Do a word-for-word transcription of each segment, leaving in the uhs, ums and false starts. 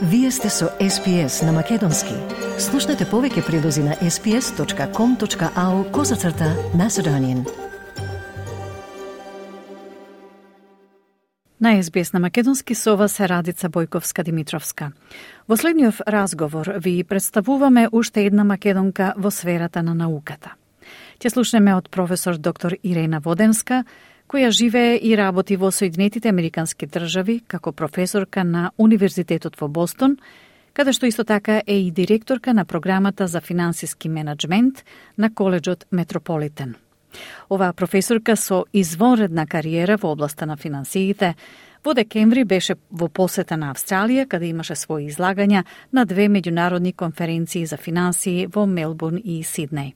Вие сте со Ес Би Ес на Македонски. Слушнете повеќе прилози на ес би ес точка ком точка ау козацрта Macedonian. На Ес Би Ес на Македонски со вас е Радица Бојковска-Димитровска. Во следниот разговор ви представуваме уште една македонка во сферата на науката. Ќе слушнеме од професор доктор Ирена Воденска, која живее и работи во Соединетите Американски држави како професорка на Универзитетот во Бостон, каде што исто така е и директорка на програмата за финансиски менеджмент на коледжот Метрополитен. Оваа професорка со извонредна кариера во областа на финансиите во декември беше во посета на Австралија, каде имаше своји излагања на две меѓународни конференции за финансии во Мелбурн и Сиднеј.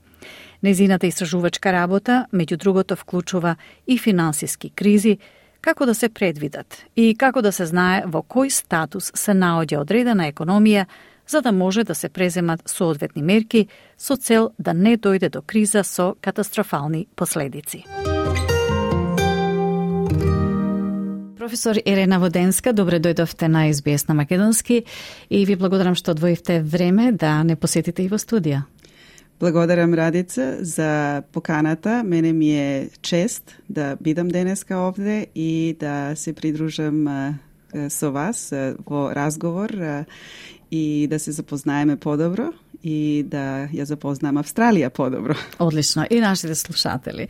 Незината истражувачка работа, меѓу другото, вклучува и финансиски кризи, како да се предвидат и како да се знае во кој статус се наоѓа одредена економија, за да може да се преземат соодветни мерки со цел да не дојде до криза со катастрофални последици. Професор Ирена Воденска, добре дојдовте на Ес Би Ес на Македонски и ви благодарам што одвоивте време да не посетите и во студија. Благодарам, Радица, за поканата. Мене ми е чест да бидам денеска овде и да се придружам а, со вас а, во разговор а, и да се запознаеме подобро и да ја запознам Австралија подобро. Одлично. И нашите слушатели.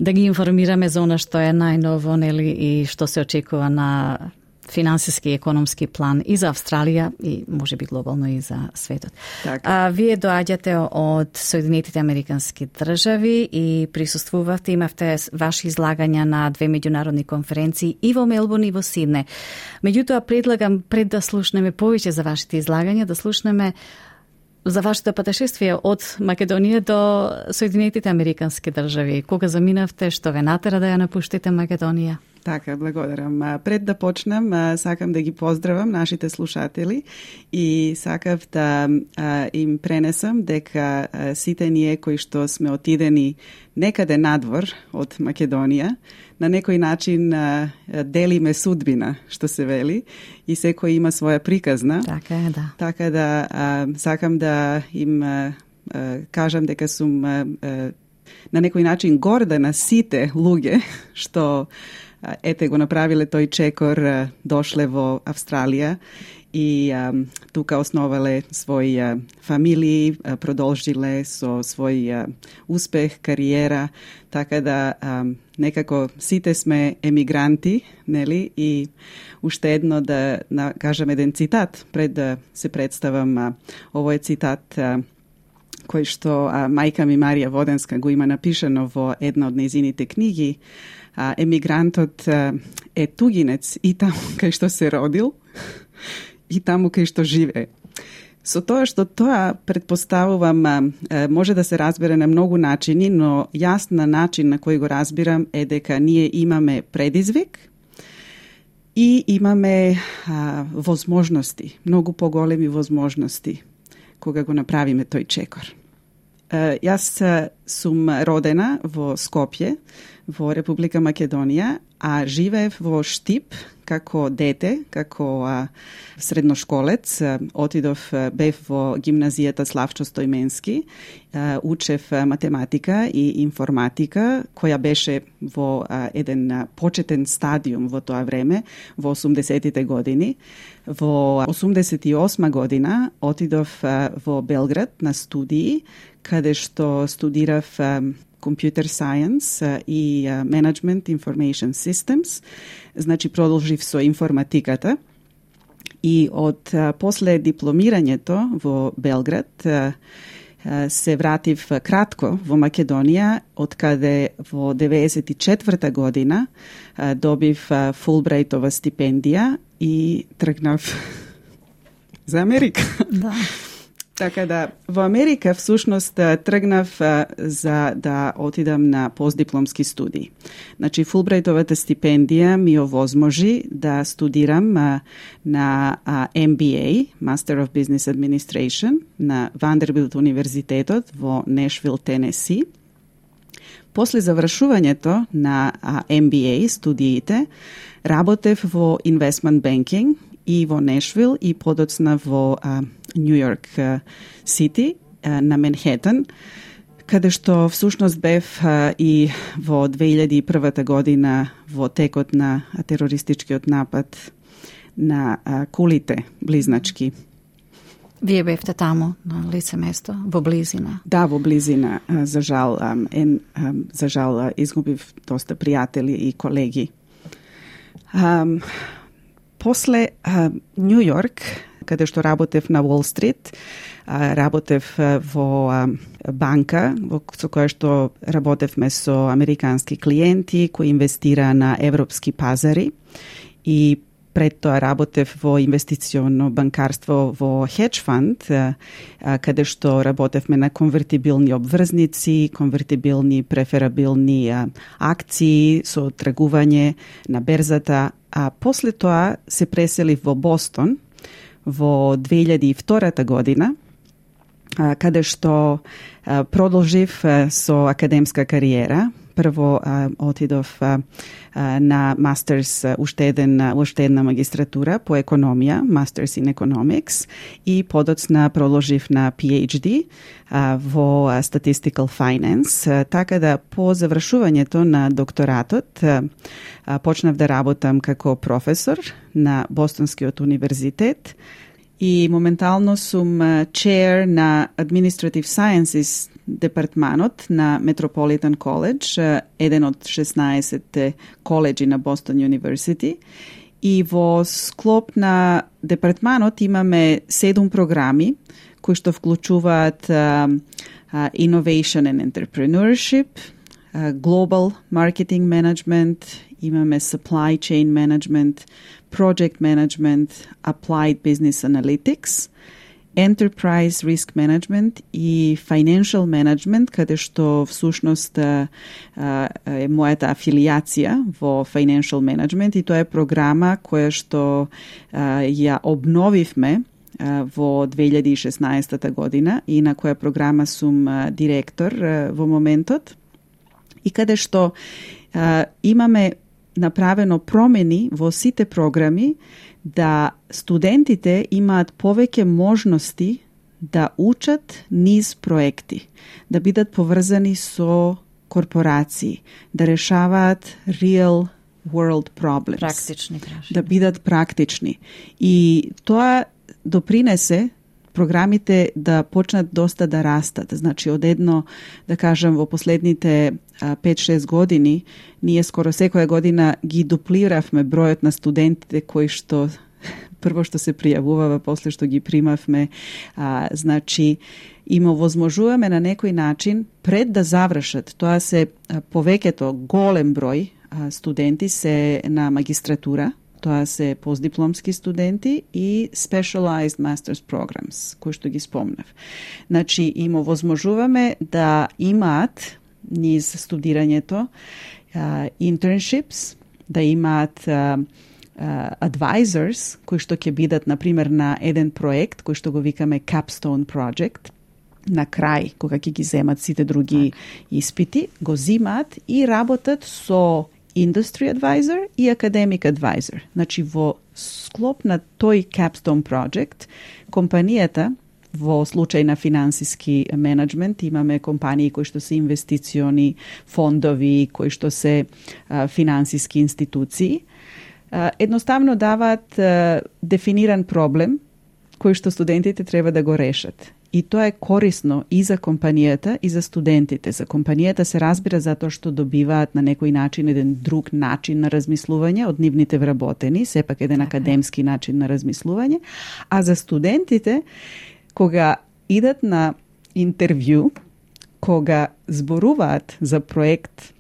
Да ги информираме за она што е најново, нели, и што се очекува на финансиски и економски план и за Австралија и може би глобално и за светот. Така. А, вие доаѓате од Соединетите Американски држави и присуствувавте, имавте ваши излагања на две меѓународни конференции и во Мелбурн и во Сиднеј. Меѓутоа, предлагам пред да слушнеме повеќе за вашите излагања, да слушнеме за вашето патешествие од Македонија до Соединетите Американски држави. Кога заминавте, што ве натера да ја напуштите Македонија? Така, благодарам. Пред да почнам, сакам да ги поздравам нашите слушатели и сакав да им пренесам дека сите ние кои што сме отидени некаде надвор од Македонија, на некој начин делиме судбина, што се вели, и секој има своја приказна. Така е, да. Така да сакам да им кажам дека сум на некој начин горда на сите луѓе што ете го направиле тој чекор, дошле во Австралија и а, тука основале своји а, фамилии, а, продолжиле со свој а, успех, кариера, така да а, некако сите сме емигранти, нели, и уште едно да на, кажам еден цитат, пред да се представам, а, овој цитат а, кој што а, мајка ми Марија Воденска го има напишано во една од нејзините книги. А, емигрантот а, е тугинец и таму кај што се родил и таму кај што живее. Со тоа што тоа предпоставувам а, може да се разбере на многу начини, но јас на начин на кој го разбирам е дека ние имаме предизвик и имаме а, возможности, многу поголеми возможности кога го направиме тој чекор. А, јас а, сум родена во Скопје, во Република Македонија, а живеев во Штип како дете, како а, средношколец. А, отидов, а, бев во гимназијата Славчо Стојменски, а, учев а, математика и информатика, која беше во а, еден а, почетен стадиум во тоа време, во осумдесетите години. Во осумдесет и осма година отидов а, во Белград на студии, каде што студирав а, Computer Science uh, и uh, Management Information Systems. Значи, продолжив со информатиката. И од uh, после дипломирањето во Белград uh, uh, се вратив uh, кратко во Македонија, од каде во деветдесет и четврта година uh, добив uh, Фулбрајтова стипендија и тргнав за Америка. Да. Така да, во Америка всушност тргнав за да отидам на постдипломски студии. Значи, Фулбрајтовата стипендија ми овозможи да студирам на Ем Би Ей, Master of Business Administration, на Вандербилт универзитетот во Нешвил, Тенеси. После завршувањето на Ем Би Ей студиите, работев во investment banking и во Нешвил и подоцна во Нью Йорк Сити на Манхетан, каде што всушност бев а, и во две илјади и прва година во текот на терористичкиот напад на а, кулите близначки. Вие бевте таму, на лице место, во близина? Да, во близина. А, за жал, а, ен, а, за жал а, изгубив доста пријатели и колеги. А, после а, Нью Йорк, каде што работев на Уол Стрит, работев во банка во со која што работевме со американски клиенти кои инвестира на европски пазари и пред тоа работев во инвестиционно банкарство во хедж фанд, каде што работевме на конвертибилни обврзници, конвертибилни преферабилни акции со тргување на берзата, а после тоа се преселив во Бостон во две илјади и втора година, каде што продолжив со академска кариера. Прво отидов на мастерс, уште еден, уште една магистратура по економија, Masters in Economics, и подоцна продолжив на PhD во Statistical Finance, така да по завршувањето на докторатот почнав да работам како професор на Бостонскиот универзитет и моментално сум chair на Administrative Sciences департманот на Metropolitan College, еден од шеснаесет коледжи на Boston University. И во склоп на департманот имаме седум програми кои што вклучуваат uh, uh, Innovation and Entrepreneurship, uh, Global Marketing Management, имаме Supply Chain Management, Project Management, Applied Business Analytics, Enterprise Risk Management и Financial Management, каде што всушност е мојата афилијација во Financial Management и тоа е програма која што ја обновивме во две илјади и шеснаесета година и на која програма сум директор во моментот и каде што имаме направено промени во сите програми да студентите имаат повеќе можности да учат низ проекти, да бидат поврзани со корпорации, да решаваат real world problems. Практични прашања. Да бидат практични. И тоа допринесе програмите да почнат доста да растат. Значи, одедно, да кажам, во последните пет-шест години, ние скоро секоја година ги дуплиравме бројот на студентите кои што прво што се пријавувава, после што ги примавме. А, значи, им овозможуваме на некој начин, пред да завршат, тоа се повеќето голем број а, студенти се на магистратура, тоа се постдипломски студенти и specialized master's programs, кои што ги спомнав. Значи, им овозможуваме да имаат низ студирањето uh, internships, да имаат uh, uh, advisors, кои што ќе бидат, например, на еден проект, кој што го викаме Capstone Project, на крај, кога ќе ги земат сите други испити, го зимаат и работат со Industry Advisor и Academic Advisor. Значи, во склоп на тој Capstone Project, компанијата, во случај на финансиски менеджмент, имаме компании кои што се инвестициони фондови, кои што се а, финансиски институции, а, едноставно даваат а, дефиниран проблем кој што студентите треба да го решат. И тоа е корисно и за компанијата, и за студентите. За компанијата се разбира затоа што добиваат на некој начин еден друг начин на размислување од нивните вработени, сепак еден академски начин на размислување, а за студентите, кога идат на интервју, кога зборуваат за проект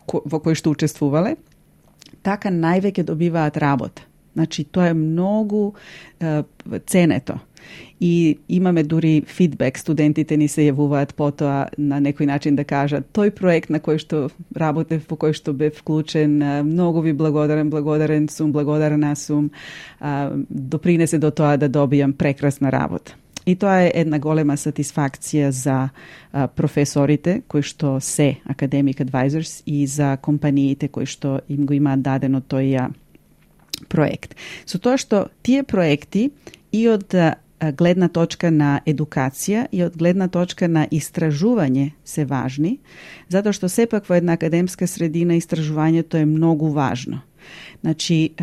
во кој што учествувале, така највеќе добиваат работа. Значи, тоа е многу е, ценето. И имаме дури фидбек, студентите ни се јавуваат потоа на некој начин да кажат тој проект на кој што работев, по кој што бев вклучен, многу ви благодарен, благодарен сум, благодарна сум, допринесе до тоа да добијам прекрасна работа. И тоа е една голема сатисфакција за а, професорите кои што се academic advisors и за компаниите кои што им го имаат дадено тој проект. Со тоа што тие проекти и од гледна точка на едукација и од гледна точка на истражување се важни, затоа што сепак во една академска средина истражувањето е многу важно. Значи,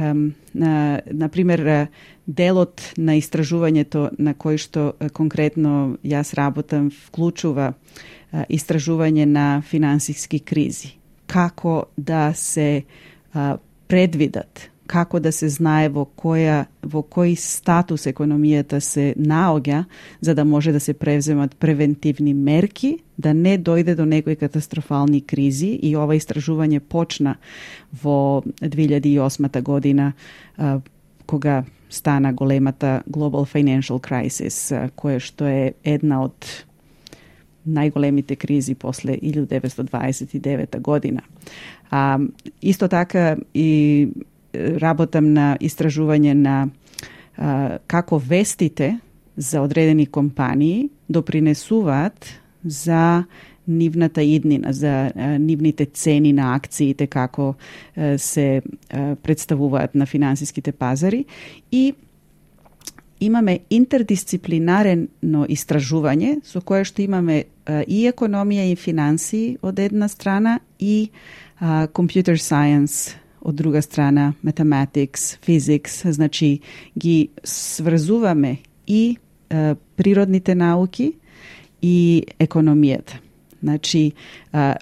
на, например, делот на истражувањето на кој што конкретно јас работам вклучува истражување на финансиски кризи. Како да се предвидат, како да се знае во која во кој статус економијата се наоѓа, за да може да се превземат превентивни мерки, да не дојде до некои катастрофални кризи. И ова истражување почна во две илјади и осма година, кога стана големата Global Financial Crisis, која што е една од најголемите кризи после илјада деветстотини дваесет и девета година. А, исто така и работам на истражување на а, како вестите за одредени компании допринесуваат за нивната иднина, за а, нивните цени на акциите, како а, се а, представуваат на финансиските пазари. И имаме интердисциплинарено истражување со кое што имаме а, и економија и финансии од една страна и а, computer science од друга страна, mathematics, physics, значи ги сврзуваме и а, природните науки и економијата. Значи, а,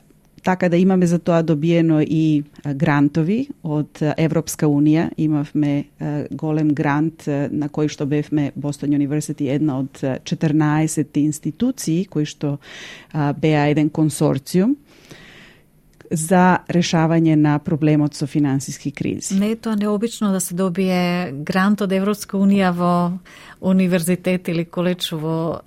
така да имаме за тоа добиено и а, грантови од а, Европска Унија. Имавме а, голем грант а, на кој што бевме Boston University, една од четрнаесет институции кои што а, беа еден консорциум за решавање на проблемот со финансиски кризи. Не е тоа необично да се добие грант од Европска Унија во универзитет или коледж во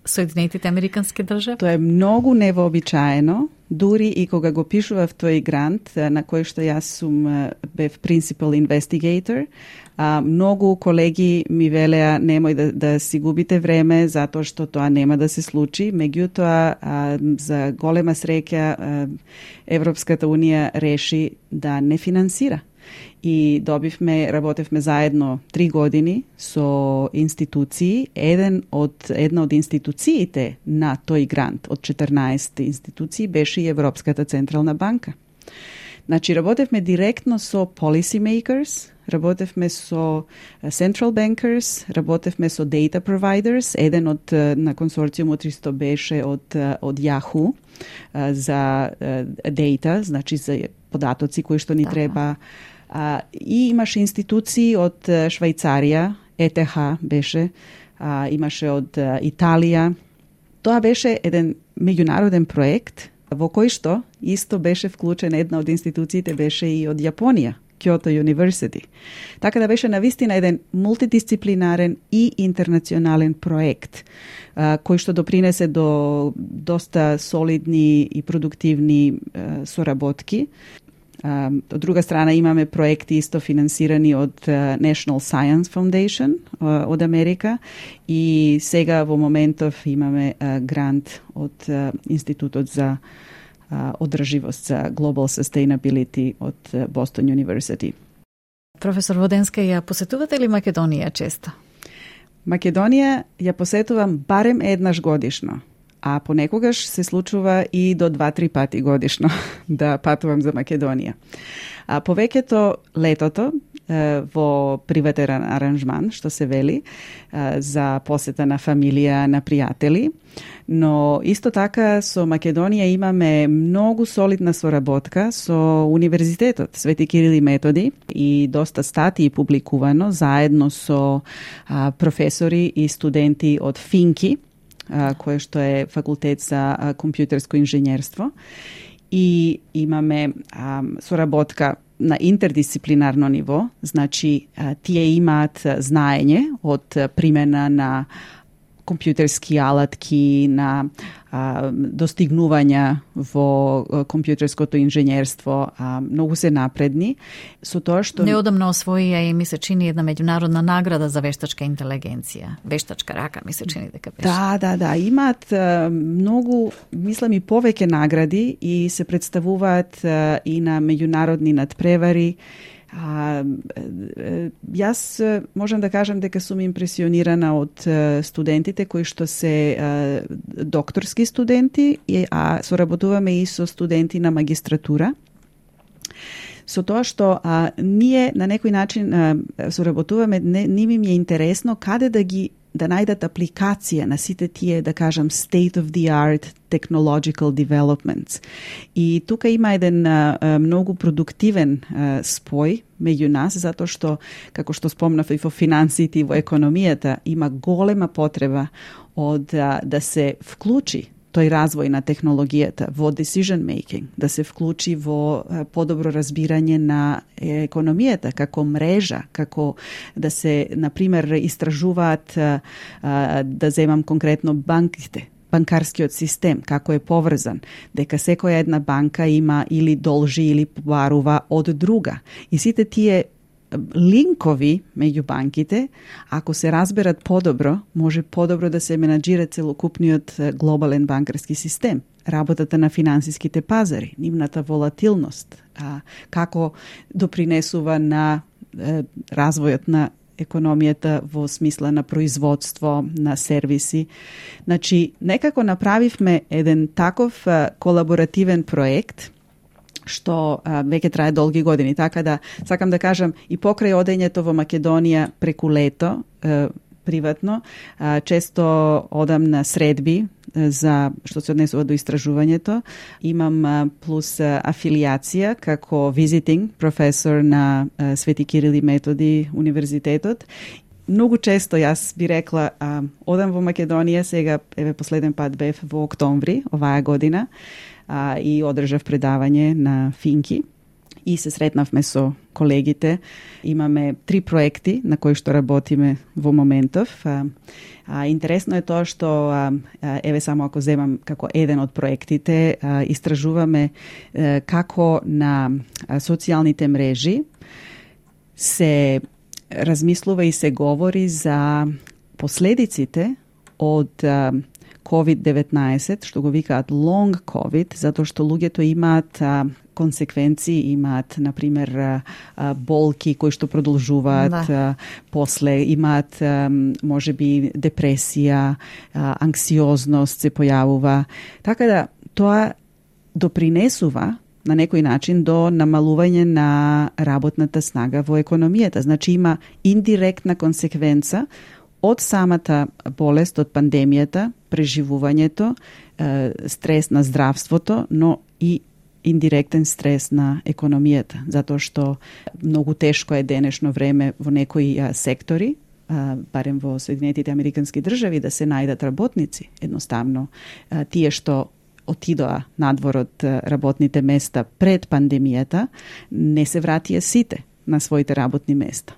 Соединетите Американски држави? Тоа е многу невообичаено, дури и кога го пишував тој грант, на кој што јас сум бев principal investigator, а, многу колеги ми велеа немој да, да си губите време затоа што тоа нема да се случи. Меѓутоа, а, за голема среќа а, Европската Унија реши да не финансира. И добивме, работевме заедно три години со институции. Еден од, една од институциите на тој грант од четрнаесет институции беше и Европската Централна банка. Значи, работевме директно со policy makers, работевме со central bankers, работевме со data providers. Еден од на консорциумот исто беше од од Yahoo за data, значи за податоци кои што ни да. треба. А, и имаше институции од Швајцарија, Е Те Ха беше, а, имаше од Италија. Тоа беше еден меѓународен проект во кој што исто беше вклучен една од институциите беше и од Јапонија, Kyoto University. Така да беше навистина еден мултидисциплинарен и интернационален проект а, кој што допринесе до доста солидни и продуктивни а, соработки. Uh, од друга страна имаме проекти исто финансирани од uh, National Science Foundation uh, од Америка и сега во моментов имаме uh, грант од uh, Институтот за uh, одрживост за Global Sustainability од uh, Boston University. Професор Воденска, ја посетувате ли Македонија често? Македонија ја посетувам барем еднаш годишно. А понекогаш се случува и до два-три пати годишно да патувам за Македонија. А повеќето летото во приватен аранжман, што се вели, за посета на фамилија, на пријатели, но исто така со Македонија имаме многу солидна соработка со Универзитетот Свети Кирил и Методи и доста статии публикувано заедно со професори и студенти од Финки, кој што е факултет за компјутерско инженерство, и имаме а, соработка на интердисциплинарно ниво, значи а, тие имаат знаење од примена на компјутерски алатки, на а, достигнувања во компјутерското инженерство, а, многу се напредни. Со тоа што неодамно освоија и ми се чини една меѓународна награда за вештачка интелигенција. Вештачка рака ми се чини дека беше. Да, да, да, имаат а, многу, мислам и повеќе награди и се представуваат а, и на меѓународни надпревари. А, јас можам да кажам дека сум импресионирана од студентите кои што се а, докторски студенти, а соработуваме и со студенти на магистратура. Со тоа што а, ние на некој начин а, соработуваме, не, не ми е интересно каде да ги да најдат апликација на сите тие, да кажам, state of the art technological developments. И тука има еден а, многу продуктивен а, спој меѓу нас, затоа што, како што спомнав и во финансиите и во економијата, има голема потреба од а, да се вклучи тој развој на технологијата во decision making, да се вклучи во подобро разбирање на економијата како мрежа, како да се, например, истражуваат, да земам конкретно банките, банкарскиот систем, како е поврзан, дека секоја една банка има или должи или побарува од друга. И сите тие линкови меѓу банките, ако се разберат подобро, може подобро да се менаџира целокупниот глобален банкарски систем, работата на финансиските пазари, нивната волатилност, а, како допринесува на е, развојот на економијата во смисла на производство, на сервиси. Значи, некако направивме еден таков а, колаборативен проект, што а, веќе трае долги години. Така да, сакам да кажам, и покрај одењето во Македонија преку лето, е, приватно, а, често одам на средби е, за што се однесува до истражувањето. Имам а, плюс а, афилијација како visiting професор на а, Свети Кирил и Методи универзитетот. Многу често јас би рекла, а, одам во Македонија, сега еве последен пат бев во октомври оваа година, а, и одржав предавање на финки и се сретнавме со колегите. Имаме три проекти на кои што работиме во моментов. А, а, интересно е тоа што, а, еве само ако земам како еден од проектите, а, истражуваме а, како на а, социјалните мрежи се размислува и се говори за последиците од а, ковид деветнаесет, што го викаат long COVID, затоа што луѓето имаат а, консеквенции, имаат, например, а, болки кои што продолжуваат, да. а, после имаат, а, може би, депресија, а, анксиозност се појавува. Така да, тоа допринесува на некој начин до намалување на работната снага во економијата. Значи има индиректна консеквенца од самата болест, од пандемијата, преживувањето, стрес на здравството, но и индиректен стрес на економијата, затоа што многу тешко е денешно време во некои сектори, барем во Соединетите Американски држави, да се најдат работници. Едноставно, тие што отидоа надвор од работните места пред пандемијата, не се вратија сите на своите работни места.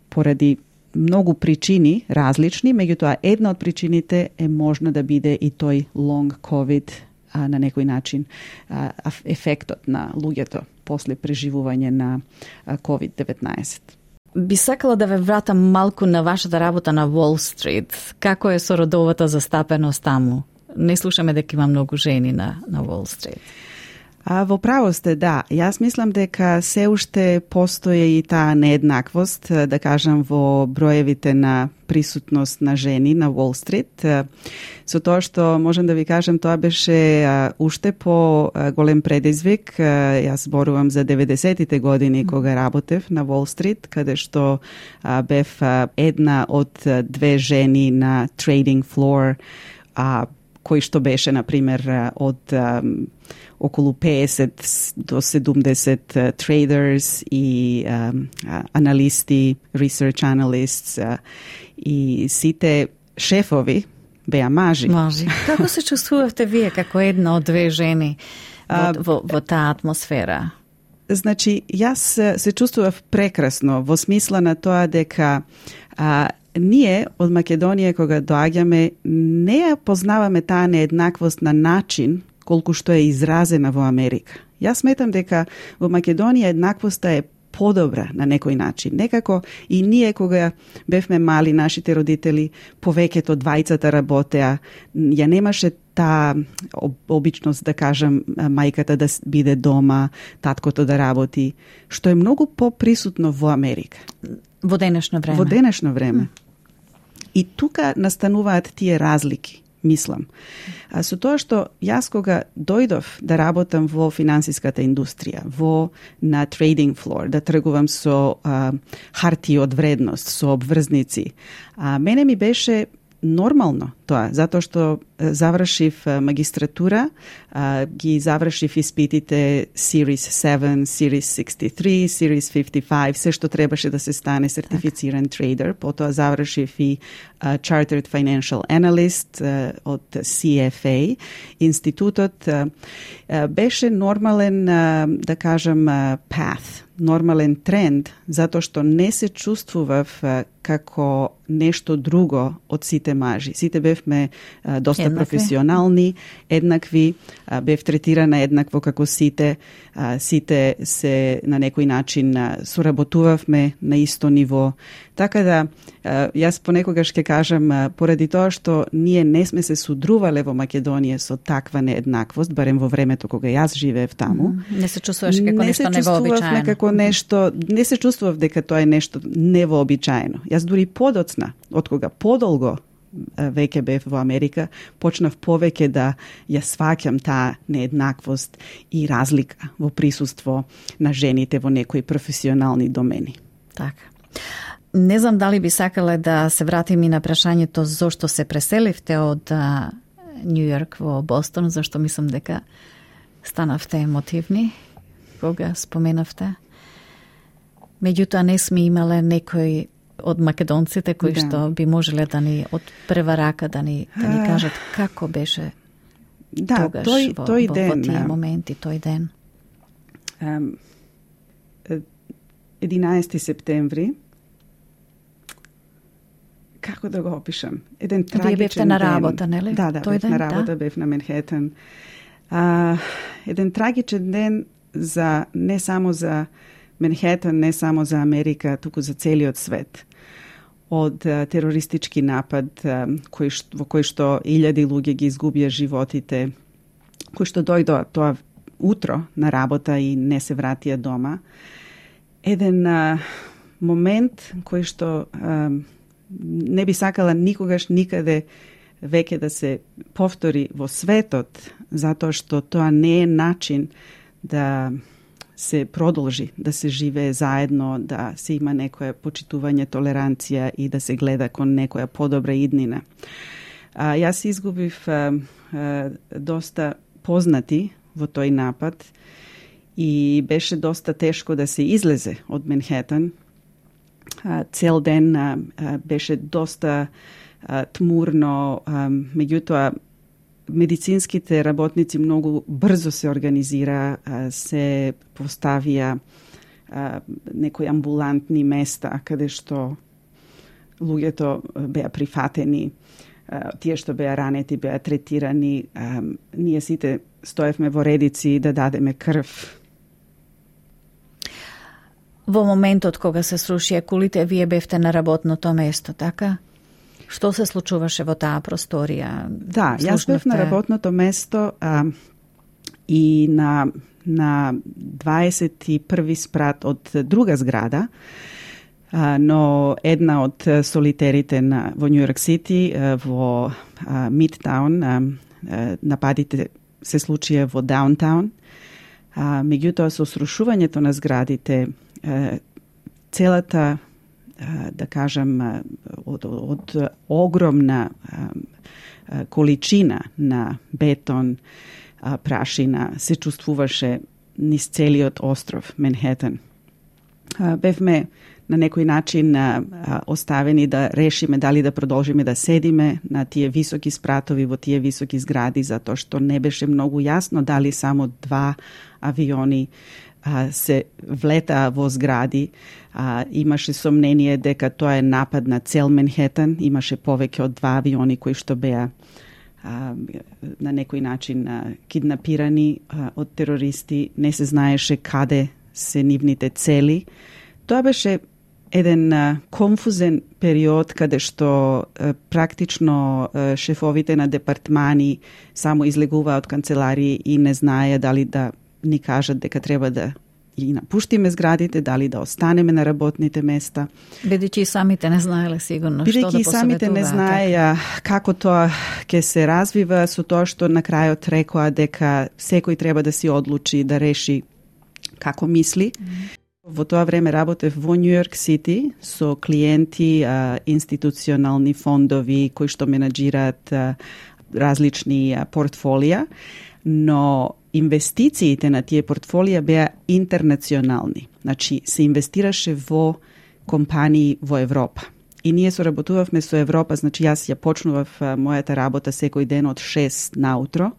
Поради многу причини различни, меѓутоа една од причините е можно да биде и тој long COVID, а, на некој начин а, ефектот на луѓето после преживување на ковид деветнаесет. Би сакала да ве вратам малку на вашата работа на Wall Street. Како е со родовата застапеност таму? Не слушаме дека има многу жени на, на Wall Street. А, во право сте, да. Јас мислам дека се уште постои и таа нееднаквост, да кажам, во броевите на присутност на жени на Wall Street. Со тоа што можам да ви кажам, тоа беше а, уште по а, голем предизвик. А, јас зборувам за деветдесетите години кога работев на Wall Street, каде што а, бев а, една од а, две жени на trading floor, а, кој што беше, например, од а, околу песет до седумдесет uh, traders и um, uh, аналисти, research analysts uh, и сите шефови беа мажи. Мажи. Како се чувствувавте вие како една од две жени во, во, во таа атмосфера? Значи, јас се чувствував прекрасно во смисла на тоа дека а, ние од Македонија кога доаѓаме не ја познаваме таа нееднаквост на начин колку што е изразена во Америка. Јас сметам дека во Македонија еднаквоста е подобра на некој начин. Некако и ние кога бевме мали, нашите родители повеќето двајцата работеа, ја немаше таа обичност да кажам мајката да биде дома, таткото да работи, што е многу поприсутно во Америка. Во денешно време. Во денешно време. И тука настануваат тие разлики, мислам. А со тоа што јас кога дојдов да работам во финансиската индустрија, во на трейдинг флор, да тргувам со а, хартии од вредност, со обврзници, а мене ми беше нормално тоа, затоа што завршив магистратура, а, ги завршив испитите Series седум, Series сиксти и три, Series фифти и пет, се што требаше да се стане сертифициран трейдер. Потоа завршив и uh, Chartered Financial Analyst uh, од Си Еф Ей. Институтот uh, uh, беше нормален, uh, да кажам, uh, path, нормален тренд, затоа што не се чувствував uh, како нешто друго од сите мажи. Сите бевме uh, доста еднакви, професионални, еднакви, uh, бев третирана еднакво како сите, uh, сите се на некој начин uh, соработувавме на исто ниво. Така да, uh, јас понекогаш ќе кажам, uh, поради тоа што ние не сме се судрувале во Македонија со таква нееднаквост, барем во времето кога јас живеев таму. Mm, не се чувствуваш како не нешто невообичаено. Како нешто, не се чувствував дека тоа е нешто невообичаено. Јас дури подоцна, од кога подолго веќе бев во Америка, почнав повеќе да ја сваќам таа нееднаквост и разлика во присуство на жените во некои професионални домени. Така. Не знам дали би сакале да се вратим и на прашањето зошто се преселивте од Њу Јорк во Бостон, зашто мислам дека станавте емотивни кога споменавте. Меѓутоа не сме имале некој од македонците кои да. што би можеле да ни од прва рака да ни да ни кажат како беше да, тогаш тој, во, тој во, ден, во тие моменти, тој ден. Um, единаесети септември, како да го опишам? Еден трагичен ден. Вие бевте на работа, нели? Да, да, тој бев ден, на работа, да? бев на Манхетен. Uh, еден трагичен ден за не само за Манхетен, не само за Америка, туку за целиот свет. Од uh, терористички напад uh, кој што, во кој што илјади луѓе ги изгубија животите, кој што дојдоа тоа утро на работа и не се вратија дома. Еден uh, момент кој што uh, не би сакала никогаш никаде веќе да се повтори во светот, затоа што тоа не е начин да се продолжи, да се живее заедно, да се има некоја почитување, толеранција и да се гледа кон некоја подобра иднина. А, јас изгубив а, а, доста познати во тој напад и беше доста тешко да се излезе од Манхетен. А, цел ден а, а, беше доста а, тмурно, а, меѓутоа медицинските работници многу брзо се организира, се поставија некои амбулантни места каде што луѓето беа прифатени, тие што беа ранети беа третирани, ние сите стоевме во редици да дадеме крв. Во моментот кога се срушија кулите, вие бевте на работното место, така? Што се случуваше во таа просторија? Да, јас бев на работното место а, и на, на дваесет и први спрат од друга зграда, а, но една од солитерите на, во Њу Јорк Сити, а, во а, Мидтаун, а, а, нападите се случија во Даунтаун. А, меѓутоа, со срушувањето на зградите, а, целата да кажам, од, од огромна количина на бетон, прашина се чувствуваше низ целиот остров Манхетен. Бевме на некој начин оставени да решиме дали да продолжиме да седиме на тие високи спратови во тие високи згради, затоа што не беше многу јасно дали само два авиони се влетаа во згради. А, имаше сомнение дека тоа е напад на цел Манхетен. Имаше повеќе од два авиони кои што беа а, на некој начин а, киднапирани а, од терористи. Не се знаеше каде се нивните цели. Тоа беше еден а, конфузен период каде што а, практично а, шефовите на департмани само излегуваа од канцеларии и не знаеја дали да ни кажат дека треба да и напуштиме зградите, дали да останеме на работните места. Бидејќи и самите не знаеле сигурно што да посоветуваат. Бидејќи и самите не знаеја како тоа ќе се развива, со тоа што на крајот рекоа дека секој треба да си одлучи, да реши како мисли. Mm. Во тоа време работев во Нью Йорк Сити со клиенти, а, институционални фондови кои што менаџираат а, различни а, портфолија, но инвестициите на тие портфолија беа интернационални. Значи, се инвестираше во компании во Европа. И ние соработувавме со Европа, значи јас ја почнував а, мојата работа секој ден од шест наутро,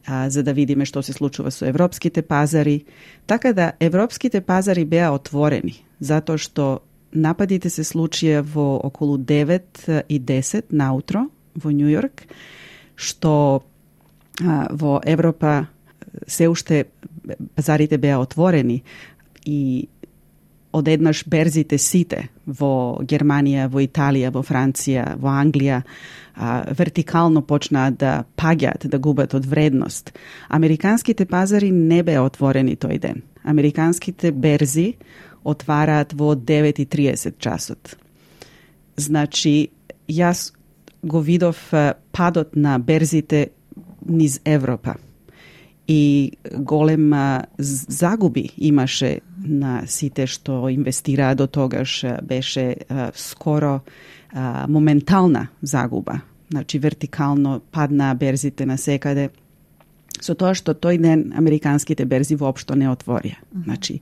а, за да видиме што се случува со европските пазари. Така да, европските пазари беа отворени, затоа што нападите се случија во околу девет и десет наутро во Нью Йорк, што а, во Европа се уште пазарите беа отворени и одеднаш берзите сите во Германија, во Италија, во Франција, во Англија а, вертикално почнаа да паѓаат, да губат од вредност. Американските пазари не беа отворени тој ден. Американските берзи отвараат во девет и триесет часот. Значи, јас го видов падот на берзите низ Европа. И голема загуби имаше на сите што инвестираа до тогаш, беше а, скоро а, моментална загуба. Значи вертикално паднаа берзите на секаде. Со тоа што тој ден американските берзи воопшто не отворија. Значи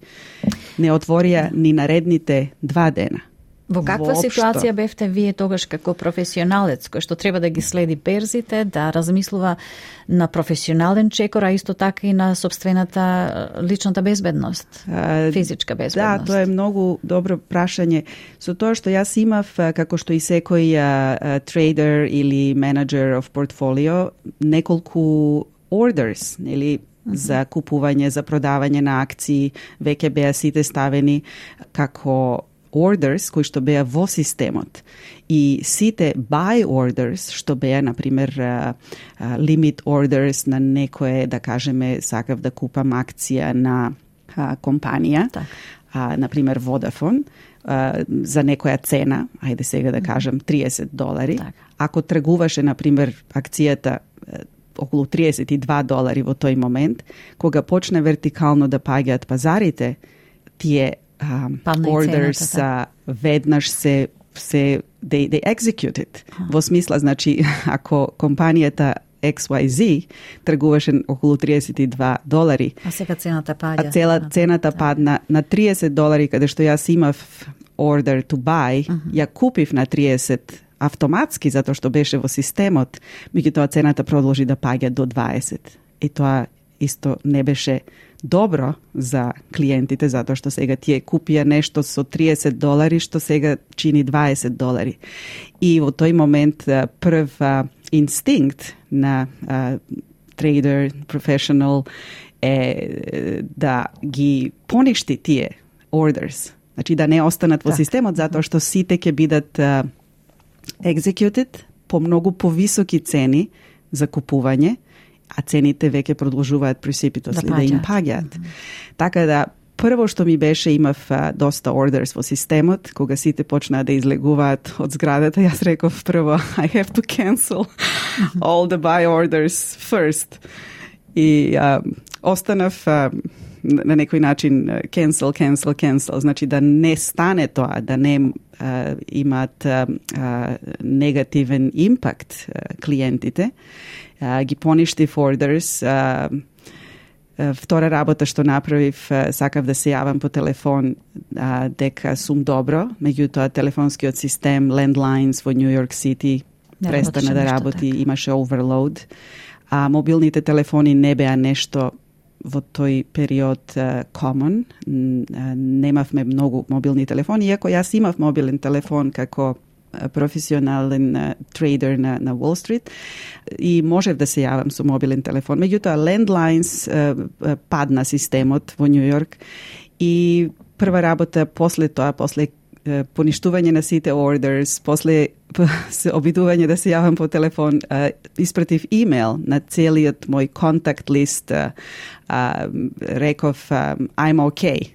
не отворија ни наредните два дена. Во каква Воопшто. Ситуација бевте вие тогаш како професионалец, кој што треба да ги следи берзите, да размислува на професионален чекор, а исто така и на собствената личната безбедност, а, физичка безбедност? Да, тоа е многу добро прашање. Со тоа што јас имав, како што и секој трейдер или менеджер of portfolio, неколку orders, или за купување, за продавање на акции, веќе беа сите ставени како orders кои што беа во системот. И сите buy orders што беа, например, uh, uh, limit orders на некое, да кажеме, сакав да купам акција на uh, компанија, так. uh, например Vodafone, uh, за некоја цена, ајде сега да кажем триесет долари. Так. Ако тргуваше, например, акцијата uh, околу триесет и два долари во тој момент, кога почне вертикално да паѓаат пазарите, тие Um, orders uh, веднаш се се they, they executed. Ah. Во смисла, значи, ако компанијата X Y Z тргуваше околу триесет и два долари, а сега цената паѓа. А цела цената падна на триесет долари, каде што јас имав order to buy, uh-huh. ја купив на триесет автоматски затоа што беше во системот, меѓутоа цената продолжи да паѓа до дваесет. И тоа исто не беше добро за клиентите, затоа што сега тие купија нешто со триесет долари, што сега чини дваесет долари. И во тој момент прв а, инстинкт на а, трейдер, професионал е да ги поништи тие orders. Значи да не останат во так. Системот, затоа што сите ќе бидат а, executed по многу повисоки цени за купување, а цените веќе продолжуваат пресипитосли да, да им паѓаат. Mm-hmm. Така да, прво што ми беше, имав а, доста orders во системот, кога сите почнаа да излегуваат од зградата, јас реков прво, I have to cancel mm-hmm. all the buy orders first. И а, останав а, на некој начин cancel, cancel, cancel, значи да не стане тоа, да не а, имаат а, а, негативен импакт а, клиентите. Uh, ги поништив orders. Uh, uh, втора работа што направив, uh, сакав да се јавам по телефон uh, дека сум добро, меѓутоа телефонскиот систем Landlines во Нью Йорк Сити престана да работи, така. Имаше overload. А uh, мобилните телефони не беа нешто во тој период uh, common. Uh, немавме многу мобилни телефони, иако јас имав мобилен телефон како професионален uh, трейдер на, на Wall Street и можев да се јавам со мобилен телефон. Меѓутоа, Landlines uh, падна системот во Нью Йорк И прва работа после тоа, после поништување на сите orders, после обидување да се јавам по телефон, uh, испратив имейл на целиот мој контакт лист, uh, uh, реков um, I'm okay.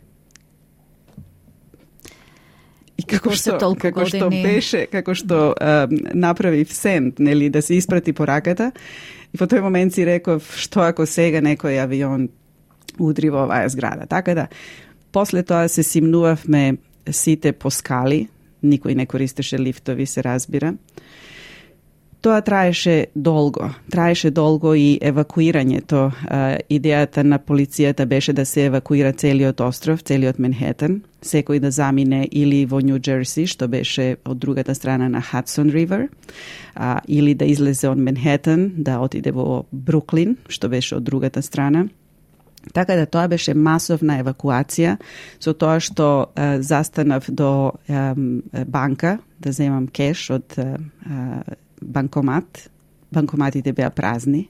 И како што, како што беше, како што um, направив сенд, нели, да се испрати пораката, и во тој момент си реков, што ако сега некој авион удри во оваа зграда. Така да, после тоа се симнувавме сите по скали, никој не користеше лифтови, се разбира. Тоа траеше долго. Траеше долго и евакуирањето. Идејата на полицијата беше да се евакуира целиот остров, целиот Манхетен, секој да замине или во Нью Джерси, што беше од другата страна на Хадсон Ривер, или да излезе од Манхетен, да отиде во Бруклин, што беше од другата страна. Така да тоа беше масовна евакуација, со тоа што е, застанав до е, банка да земам кеш од е, банкомат. Банкоматите беа празни,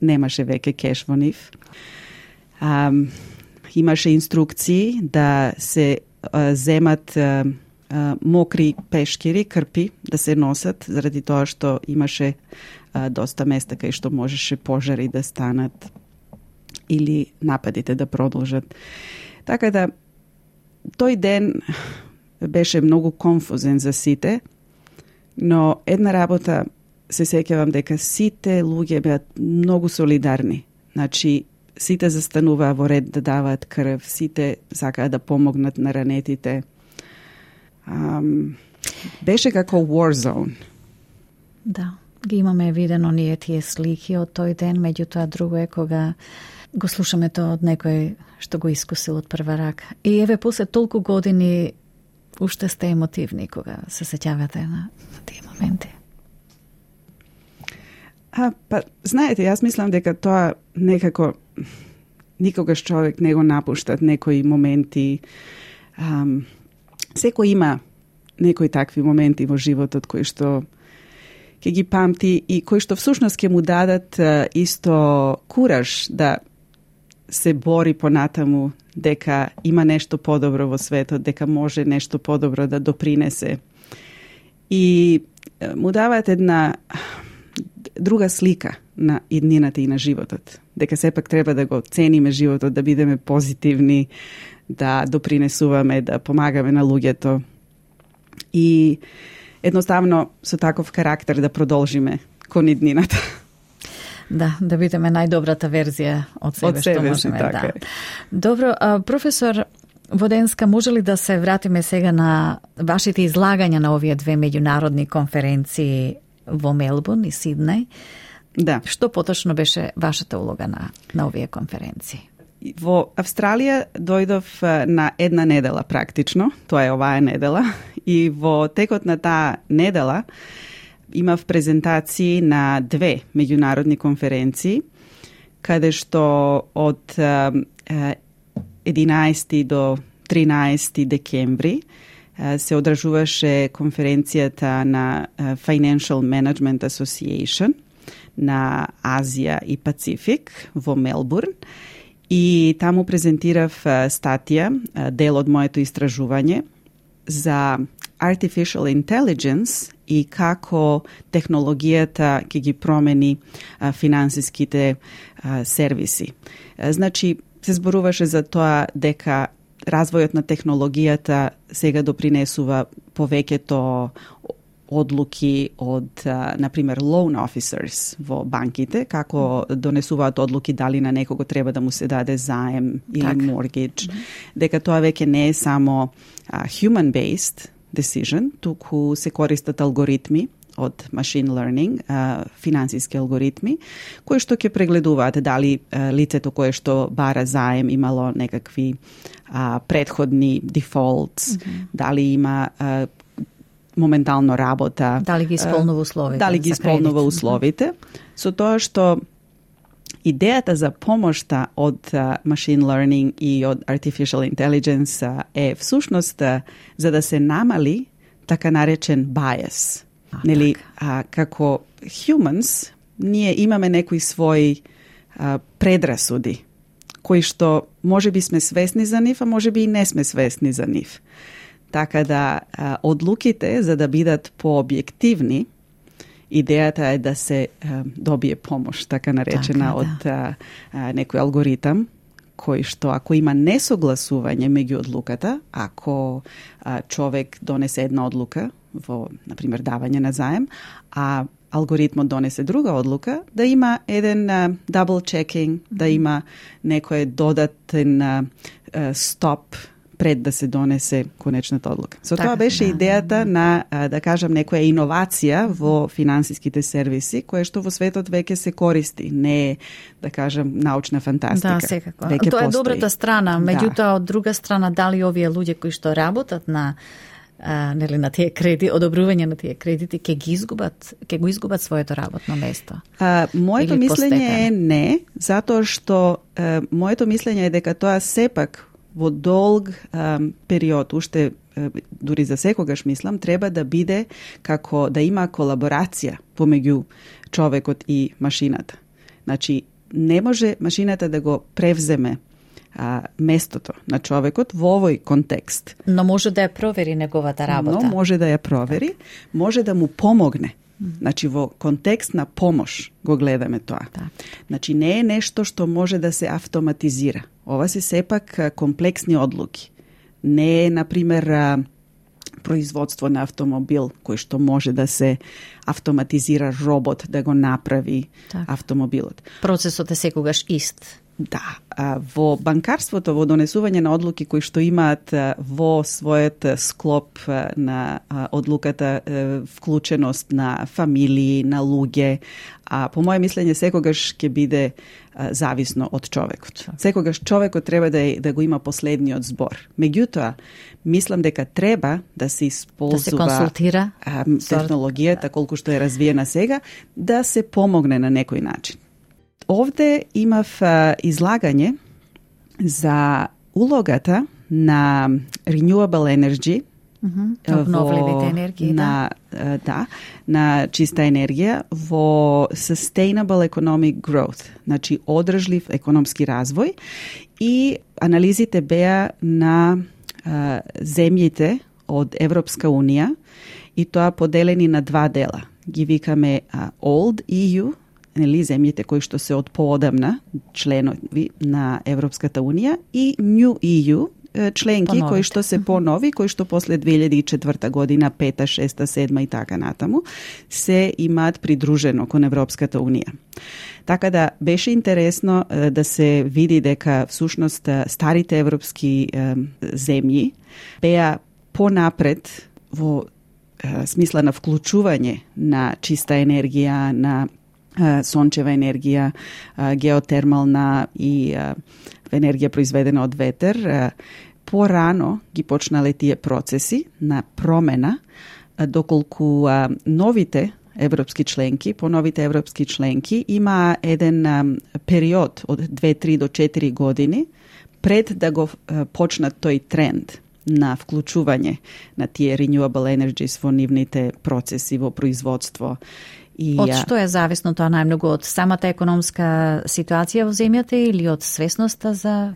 немаше веќе кеш во нив. А, имаше инструкции да се е, земат е, е, мокри пешкири, крпи, да се носат, заради тоа што имаше е, доста места кај што можеше пожари да станат или нападите да продолжат. Така да, тој ден беше многу конфузен за сите, но една работа се сеќавам дека сите луѓе беа многу солидарни. Значи, сите застануваа во ред да даваат крв, сите сакаа да помогнат на ранетите. Um, беше како war zone. Да, ги имаме видено ние тие слики од тој ден, меѓутоа друго е кога го слушаме тоа од некој што го искусил од прва рака. И еве после толку години уште сте емотивни кога се сеќавате на тие моменти. А, па, знаете, јас мислам дека тоа некако никогаш човек не го напуштат некои моменти. Ам, секој има некои такви моменти во животот кои што ќе ги памти и кои што всушност ќе му дадат а, исто кураж да се бори понатаму, дека има нешто подобро во светот, дека може нешто подобро да допринесе. И му даваат една друга слика на иднината и на животот. Дека сепак треба да го цениме животот, да бидеме позитивни, да допринесуваме, да помагаме на луѓето. И едноставно со таков карактер да продолжиме кон иднината. Да, да бидеме најдобрата верзија од себе, од себе што можеме. Така да. е. Добро, а, професор Воденска, може ли да се вратиме сега на вашите излагања на овие две меѓународни конференции во Мелбурн и Сиднеј? Да. Што поточно беше вашата улога на, на овие конференции? Во Австралија дојдов на една недела практично, тоа е оваа недела, и во текот на таа недела имав презентации на две меѓународни конференции, каде што од единаесети до тринаесети декември се одржуваше конференцијата на Financial Management Association на Азија и Пацифик во Мелбурн. И таму презентирав статија, дел од моето истражување за Artificial Intelligence и како технологијата ќе ги промени а, финансиските а, сервиси. А, значи, се зборуваше за тоа дека развојот на технологијата сега допринесува повеќето одлуки од, а, например, loan officers во банките, како донесуваат одлуки дали на некого треба да му се даде заем или так. mortgage, mm-hmm. дека тоа веќе не е само а, human-based decision, туку се користат алгоритми од machine learning, а, финансиски алгоритми, кои што ќе прегледуваат дали а, лицето кое што бара заем имало некакви а, предходни defaults, mm-hmm. дали има а, моментално работа. Дали ги исполнува условите. Дали ги исполнува условите. Со тоа што идејата за помошта од uh, machine learning и од artificial intelligence uh, е всушност uh, за да се намали така наречен bias. А, Нели, така. а, како humans, ние имаме некои своји uh, предрасуди кои што може би сме свесни за нив, а може би и не сме свесни за нив. Така да а, одлуките, за да бидат пообјективни, идејата е да се а, добие помош, така наречена, така, од да. а, некој алгоритам, кој што ако има несогласување меѓу одлуката, ако а, човек донесе една одлука во, например, давање на заем, а алгоритмот донесе друга одлука, да има еден uh, double checking, да има некој додатен uh, стоп пред да се донесе конечната одлука. Со така, тоа беше да, идејата да, да. на, да кажам, некоја иновација во финансиските сервиси, кое што во светот веќе се користи. Не е, да кажам, научна фантастика. Да, секако. Веќе Тоа е постои. добрата страна. Меѓутоа, да. од друга страна, дали овие луѓе кои што работат на а, нели, на тие кредити, одобрување на тие кредити, ќе ги изгубат, ќе го изгубат своето работно место? А, моето Или мислење постепено? е не, затоа што а, моето мислење е дека тоа сепак во долг а, период, уште а, дури за секогаш мислам, треба да биде како да има колаборација помеѓу човекот и машината. Значи, не може машината да го превземе а, местото на човекот во овој контекст. Но може да ја провери неговата работа. Но може да ја провери, може да му помогне. Значи, во контекст на помош го гледаме тоа. Да. Значи, не е нешто што може да се автоматизира. Ова се сепак комплексни одлуки. Не е, например, производство на автомобил, кој што може да се автоматизира робот да го направи так. автомобилот. Процесот е секогаш ист. Да, во банкарството, во донесување на одлуки кои што имаат во својот склоп на одлуката вклученост на фамилии, на луѓе, а по моје мислење секогаш ќе биде зависно од човекот. Секогаш човекот треба да, е, да го има последниот збор. Меѓутоа, мислам дека треба да се исползува да се консултира а, технологијата колку што е развиена сега, да се помогне на некој начин. Овде имав а, излагање за улогата на renewable energy, mm-hmm. обновливите енергии, на, да. да, на чиста енергија во sustainable economic growth, значи одржлив економски развој, и анализите беа на а, земјите од Европска унија, и тоа поделени на два дела. Ги викаме а, Old E U, нели, земјите кои што се од поодамна членови на Европската унија, и New E U, членки Поновите. Кои што се понови, кои што после две илјади и четврта година, пета, шеста, седма и така натаму, се имаат придружено кон Европската унија. Така да беше интересно да се види дека всушност старите европски земји беа понапред во смисла на вклучување на чиста енергија, на сончева енергија, геотермална и енергија произведена од ветер. Порано ги почнале тие процеси на промена, доколку новите европски членки, по новите европски членки има еден период од две, три до четири години пред да го почнат тој тренд на вклучување на тие renewable energies во нивните процеси во производство. И, од што е зависно тоа најмногу? Од самата економска ситуација во земјата или од свесноста за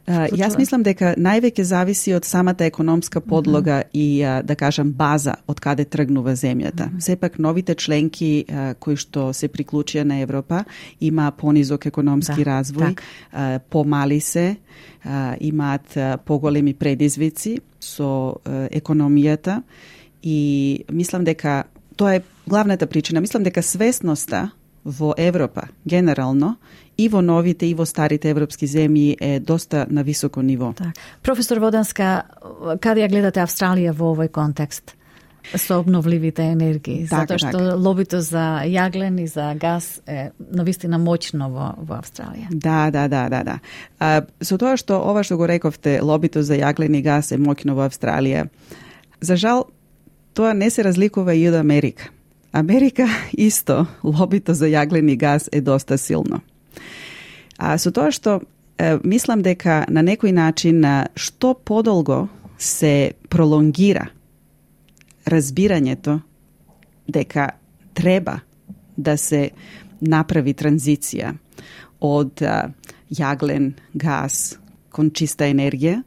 Uh, јас мислам дека највеќе зависи од самата економска подлога mm-hmm. и, uh, да кажам, база од каде тргнува земјата. Mm-hmm. Сепак новите членки uh, кои што се приклучија на Европа има понизок економски да, развој, uh, помали се, uh, имаат uh, поголеми предизвици со uh, економијата, и мислам дека тоа е главната причина. Мислам дека свесноста во Европа генерално и во новите и во старите европски земји е доста на високо ниво. Так. Професор Воданска, каде ја гледате Австралија во овој контекст со обновливите енергии? Так, Затоа што так. лобито за јаглен и за газ е навистина моќно во, во Австралија. Да, да, да, да, да. А, со тоа што ова што го рековте, лобито за јаглен и газ е моќно во Австралија, за жал тоа не се разликува и од Америка. Америка исто, лобито за јаглен и газ е доста силно. А со тоа што е, мислам дека на некој начин што подолго се пролонгира разбирањето дека треба да се направи транзиција од а, јаглен, газ, кон чиста енергија,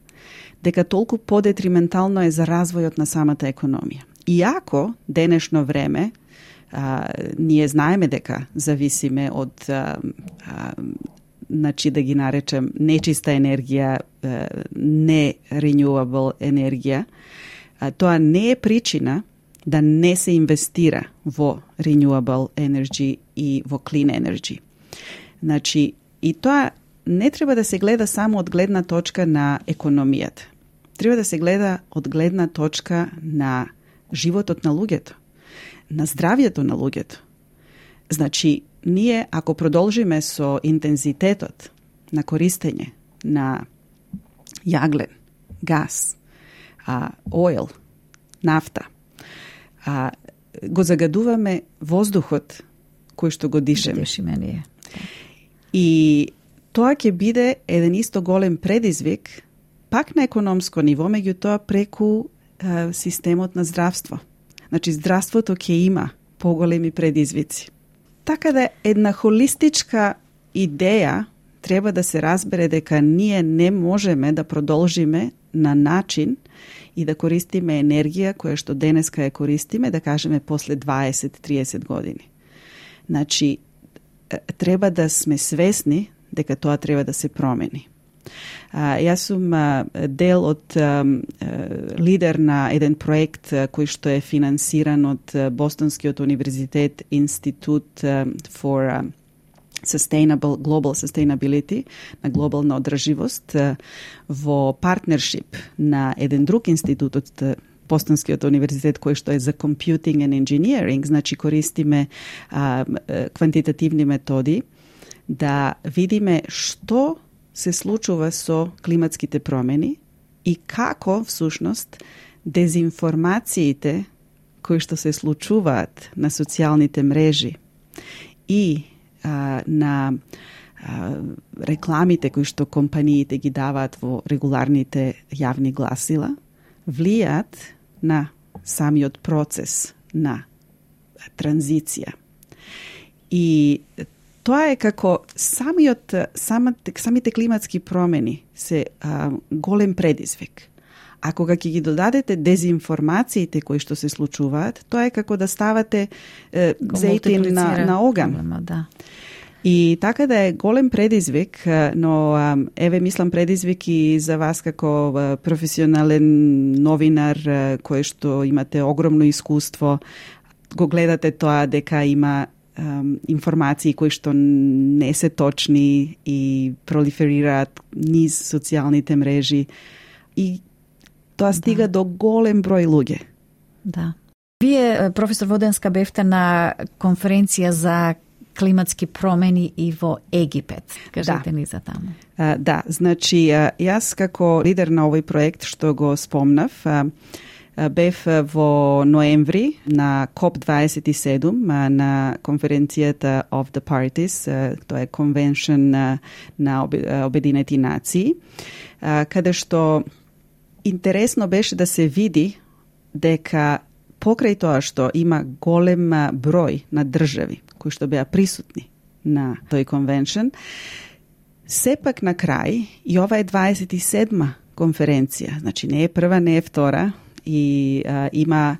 дека толку подетриментално е за развојот на самата економија. Иако денешно време а, ние знаеме дека зависиме од а, а, значи да ги наречем нечиста енергија, а, не renewable енергија, а, тоа не е причина да не се инвестира во renewable energy и во clean energy. Значи, и тоа не треба да се гледа само од гледна точка на економијата. Треба да се гледа од гледна точка на животот на луѓето, на здравјето на луѓето. Значи, ние ако продолжиме со интензитетот на користење на јаглен, газ, а, ойл, нафта, а, го загадуваме воздухот кој што го дишеме. Дишиме ние. И тоа ќе биде еден исто голем предизвик, пак на економско ниво, меѓутоа преку е, системот на здравство. Значи, здравството ќе има поголеми предизвици. Така да една холистичка идеја треба да се разбере дека ние не можеме да продолжиме на начин и да користиме енергија која што денеска ја користиме, да кажеме после дваесет до триесет години. Значи, треба да сме свесни дека тоа треба да се промени. А, јас сум а, дел од а, лидер на еден проект а, кој што е финансиран од а, Бостонскиот универзитет Институт а, for а, Sustainable Global Sustainability, на глобална одрживост, а, во партнершип на еден друг институт од Бостонскиот универзитет кој што е за Computing and Engineering, значи користиме а, квантитативни методи да видиме што се случува со климатските промени и како всушност дезинформациите кои што се случуваат на социјалните мрежи и а, на а, рекламите кои што компаниите ги даваат во регуларните јавни гласила влијаат на самиот процес на транзиција. И тоа е како самиот, самите, самите климатски промени се а, голем предизвик. А кога ќе ги додадете дезинформациите кои што се случуваат, тоа е како да ставате е, зејтин на, на оган. Проблема, да. И така да е голем предизвик, но еве мислам предизвик и за вас како професионален новинар кој што имате огромно искуство, го гледате тоа дека има Um, информации кои што не се точни и пролиферираат низ социјалните мрежи и тоа стига да. до голем број луѓе. Да. Вие, професор Воденска, бевте на конференција за климатски промени и во Египет. Кажете да. ни за таму. Uh, да, значи јас како лидер на овој проект што го спомнав, uh, бев во ноември на коп дваесет и седум на конференцијата of the Parties, тоа е конвеншн на Обединети нации, каде што интересно беше да се види дека покрај тоа што има голем број на држави кои што беа присутни на тој конвеншн, сепак на крај и ова е дваесет и седма конференција, значи не е прва, не е втора, и а, има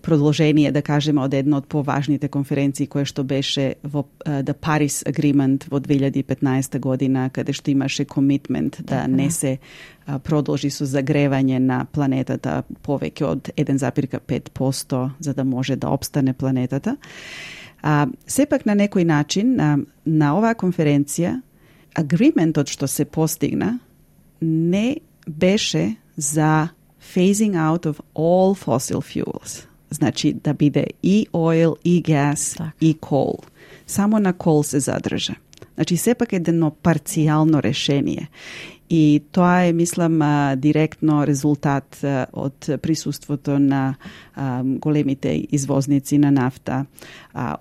продолжение, да кажеме, од една од поважните конференции која што беше во uh, The Paris Agreement во две илјади и петнаесета година, каде што имаше комитмент да не се uh, продолжи со загревање на планетата повеќе од еден зарез и пет проценти за да може да опстане планетата. Uh, сепак на некој начин uh, на оваа конференција агриментот што се постигна не беше за phasing out of all fossil fuels. Значи да биде и oil, и gas, так. и coal. Само на coal се задржа. Значи сепак едно парцијално решение. И тоа е, мислам, директно резултат од присуството на големите извозници на нафта,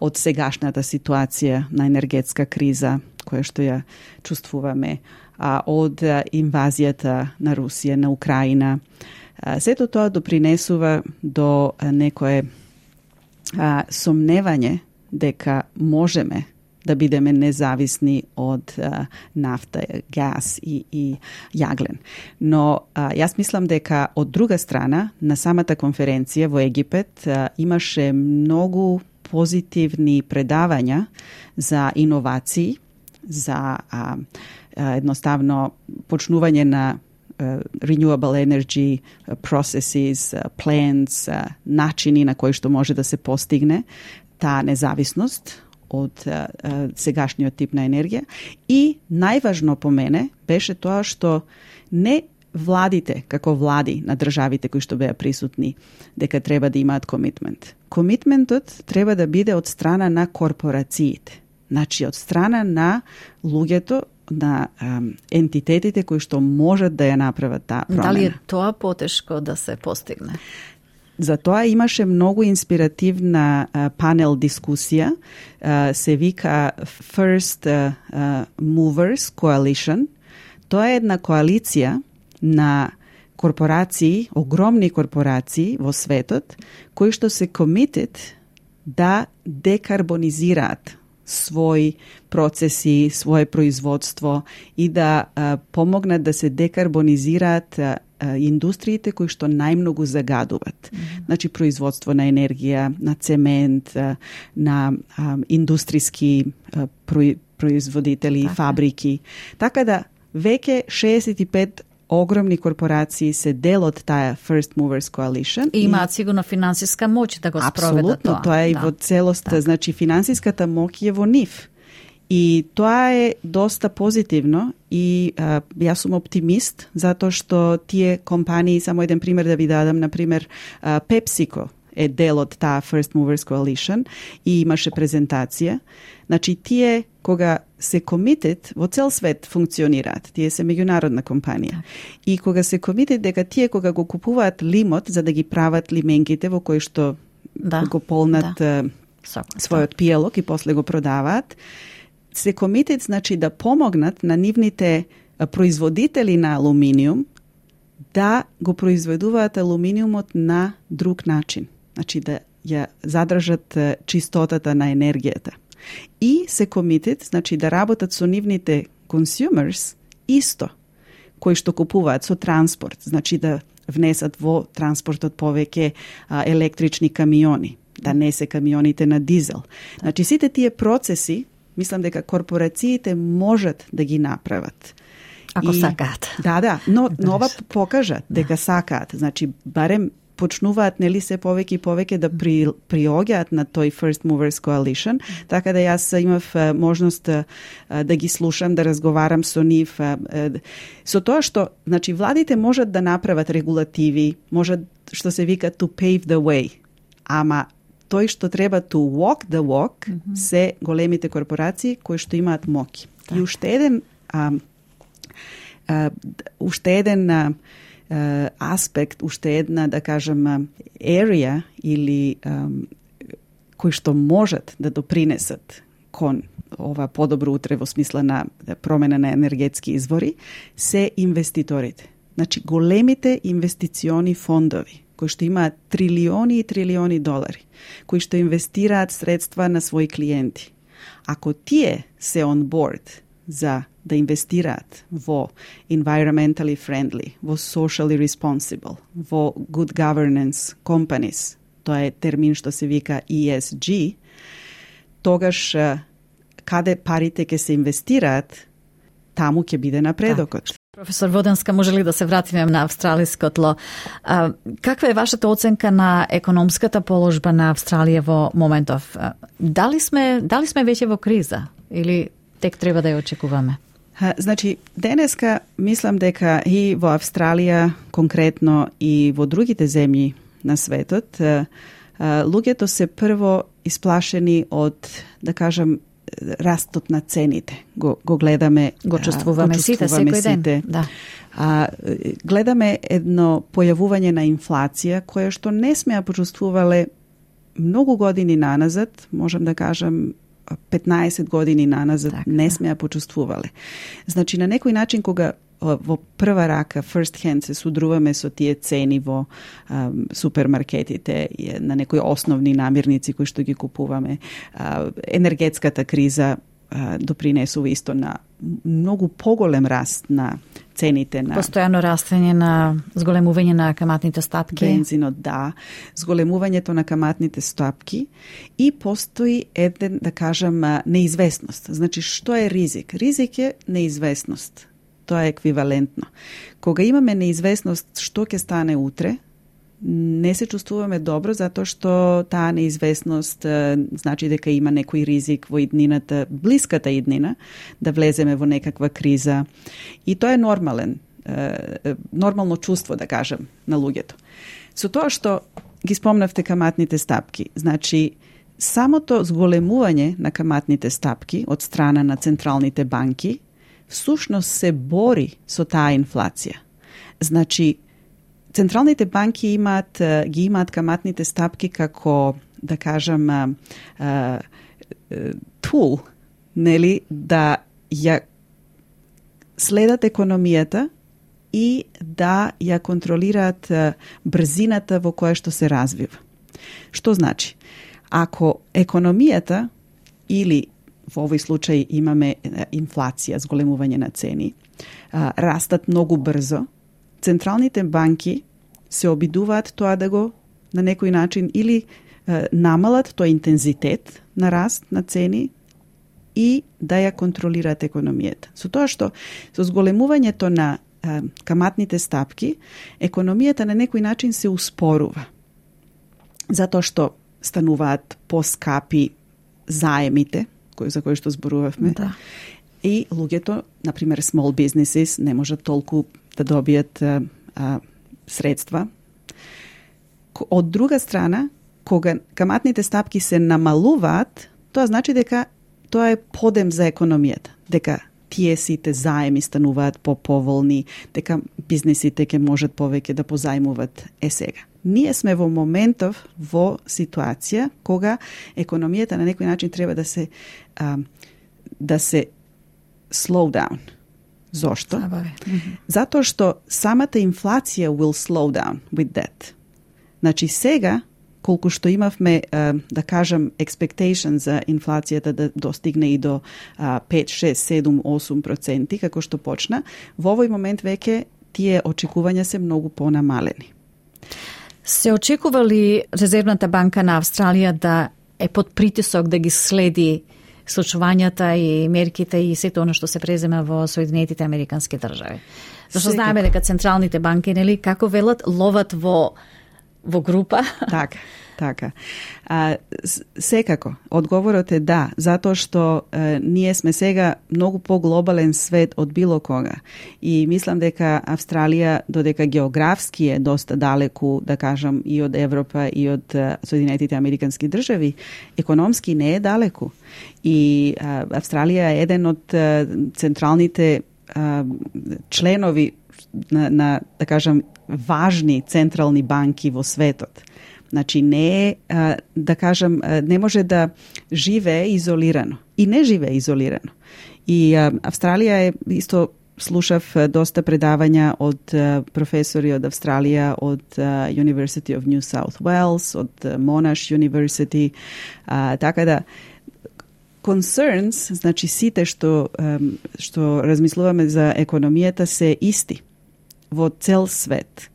од сегашната ситуација на енергетска криза, која што ја чувствуваме, од инвазијата на Русија, на Украина. Сето тоа допринесува до некое а, сомневање дека можеме да бидеме независни од а, нафта, газ и, и јаглен. Но а, јас мислам дека од друга страна, на самата конференција во Египет а, имаше многу позитивни предавања за иновации, за а, а, едноставно почнување на Uh, renewable energy uh, processes, uh, plants, uh, начини на кои што може да се постигне таа независност од uh, uh, сегашниот тип на енергија. И најважно по мене беше тоа што не владите, како влади на државите кои што беа присутни, дека треба да имаат комитмент. Комитментот треба да биде од страна на корпорациите. Значи, од страна на луѓето, на um, ентитетите кои што можат да ја направат таа промена. Дали е тоа потешко да се постигне? За тоа имаше многу инспиративна uh, панел дискусија, uh, се вика First uh, uh, Movers Coalition. Тоа е една коалиција на корпорации, огромни корпорации во светот, кои што се committed да декарбонизираат своји процеси, своје производство и да а, помогнат да се декарбонизираат а, а, индустриите кои што најмногу загадуваат. Mm-hmm. Значи, производство на енергија, на цемент, а, на а, индустријски а, производители, така. Фабрики. Така да, веќе шеесет и пет огромни корпорации се дел од таа First Movers Coalition. И имаат сигурно финансиска моќ да го спроведат тоа. Апсолутно, тоа е да. Во целост, да. Значи финансиската моќ е во нив. И тоа е доста позитивно и а, јас сум оптимист затоа што тие компании, само еден пример да ви дадам, на пример а, PepsiCo е дел од таа First Movers Coalition и имаше презентација. Значи, тие кога се committed, во цел свет функционираат. Тие се меѓународна компанија. И кога се committed дека тие кога го купуваат лимот за да ги прават лименките во кои што да, го полнат да. својот пиелок и после го продаваат, се committed значи да помогнат на нивните производители на алуминиум да го произведуваат алуминиумот на друг начин. Значи да ја задржат чистотата на енергијата. И се committed, значи да работат со нивните consumers исто, кои што купуваат со транспорт, значи да внесат во транспортот повеќе а, електрични камиони, да не се камионите на дизел. Значи сите тие процеси, мислам дека корпорациите можат да ги направат. Ако и, сакаат. Да, да, но нова покажат дека да. Сакаат. Значи барем почнуваат нели се повеќе и повеќе да при, приоѓаат на тој First Movers Coalition, така да јас имав а, можност а, да ги слушам, да разговарам со нив, а, а, со тоа што, значи, владите можат да направат регулативи, можат, што се вика to pave the way, ама тој што треба to walk the walk mm-hmm. се големите корпорации кои што имаат моќ. И уште еден а, а, уште еден а, Uh, аспект, уште една, да кажем, area или um, кои што можат да допринесат кон ова подобро утре во смисла на промена на енергетски извори, се инвеститорите. Значи, големите инвестициони фондови, кои што имаат трилиони и трилиони долари, кои што инвестираат средства на своји клиенти. Ако тие се on board за да инвестираат во environmentally friendly, во socially responsible, во good governance companies, тоа е термин што се вика E S G, тогаш каде парите ќе се инвестираат, таму ќе биде напредокот. Да. Професор Воденска, може ли да се вратиме на австралиско тло? А, каква е вашата оценка на економската положба на Австралија во моментов? Дали сме, дали сме веќе во криза или тек треба да ја очекуваме? Значи, денеска мислам дека и во Австралија конкретно и во другите земји на светот, луѓето се прво исплашени од, да кажам, растот на цените. Го, го гледаме, го чувствуваме, го чувствуваме сите, секој ден. Сите. Да. А, гледаме едно појавување на инфлација која што не сме ја почувствувале многу години наназад, можам да кажам петнаесет години наназад, так, не сме ја почувствувале. Значи, на некој начин, кога во прва рака, first hand, се судруваме со тие цени во а, супермаркетите, на некои основни намирници кои што ги купуваме, а, енергетската криза а, допринесува исто на многу поголем раст на цените на постојано растење на зголемување на каматните стапки. Бензинот, да, зголемувањето на каматните стапки и постои еден, да кажам, неизвестност. Значи, што е ризик? Ризик е неизвестност. Тоа е еквивалентно. Кога имаме неизвестност што ќе стане утре, не се чувствуваме добро затоа што таа неизвестност е, значи дека има некој ризик во иднината, блиската иднина, да влеземе во некаква криза. И тоа е нормален, е, нормално чувство, да кажем, на луѓето. Со тоа што ги спомнавте каматните стапки, значи самото зголемување на каматните стапки од страна на централните банки всушност се бори со таа инфлација. Значи, централните банки имаат, ги имаат каматните стапки како, да кажам, а, а, тул, нели, да ја следат економијата и да ја контролираат а, брзината во која што се развива. Што значи? Ако економијата или во овој случај имаме инфлација, зголемување на цени, а, растат многу брзо, централните банки се обидуваат тоа да го на некој начин или е, намалат тој интензитет на раст на цени и да ја контролираат економијата. Со тоа што со зголемувањето на е, каматните стапки, економијата на некој начин се успорува. Затоа што стануваат поскапи заемите, кои, за кои што зборувавме. Да. И луѓето, например, small businesses, не можат толку да добијат а, а, средства. Од друга страна, кога каматните стапки се намалуваат, тоа значи дека тоа е подем за економијата, дека тие сите заеми стануваат по-поволни, дека бизнисите ќе можат повеќе да позајмуваат. Е сега. Ние сме во моментов во ситуација кога економијата на некој начин треба да се а, да се slow down. Зошто? Mm-hmm. Затоа што самата инфлација will slow down with that. Значи сега, колку што имавме, да кажам, expectation за инфлацијата да достигне и до пет, шест, седум, осум проценти, како што почна, во овој момент веќе тие очекувања се многу понамалени. Се очекува ли Резервната банка на Австралија да е под притисок да ги следи случувањата и мерките и сето оно што се презема во Соединетите Американски држави? Зашто знаеме дека централните банки, нели, како велат, ловат во во група? Така, така. А, секако, одговорот е да, затоа што е, ние сме сега многу поглобален свет од било кога. И мислам дека Австралија, додека географски е доста далеку, да кажам, и од Европа и од Соединетите Американски држави, економски не е далеку. И а, Австралија е еден од а, централните а, членови на, на, да кажам, важни централни банки во светот. Значи не е, да кажам, не може да живее изолирано. И не живее изолирано. И Австралија е, исто слушав доста предавања од професори од Австралија, од University of New South Wales, од Monash University, така да concerns, значи сите што што размислуваме за економијата се исти во цел свет.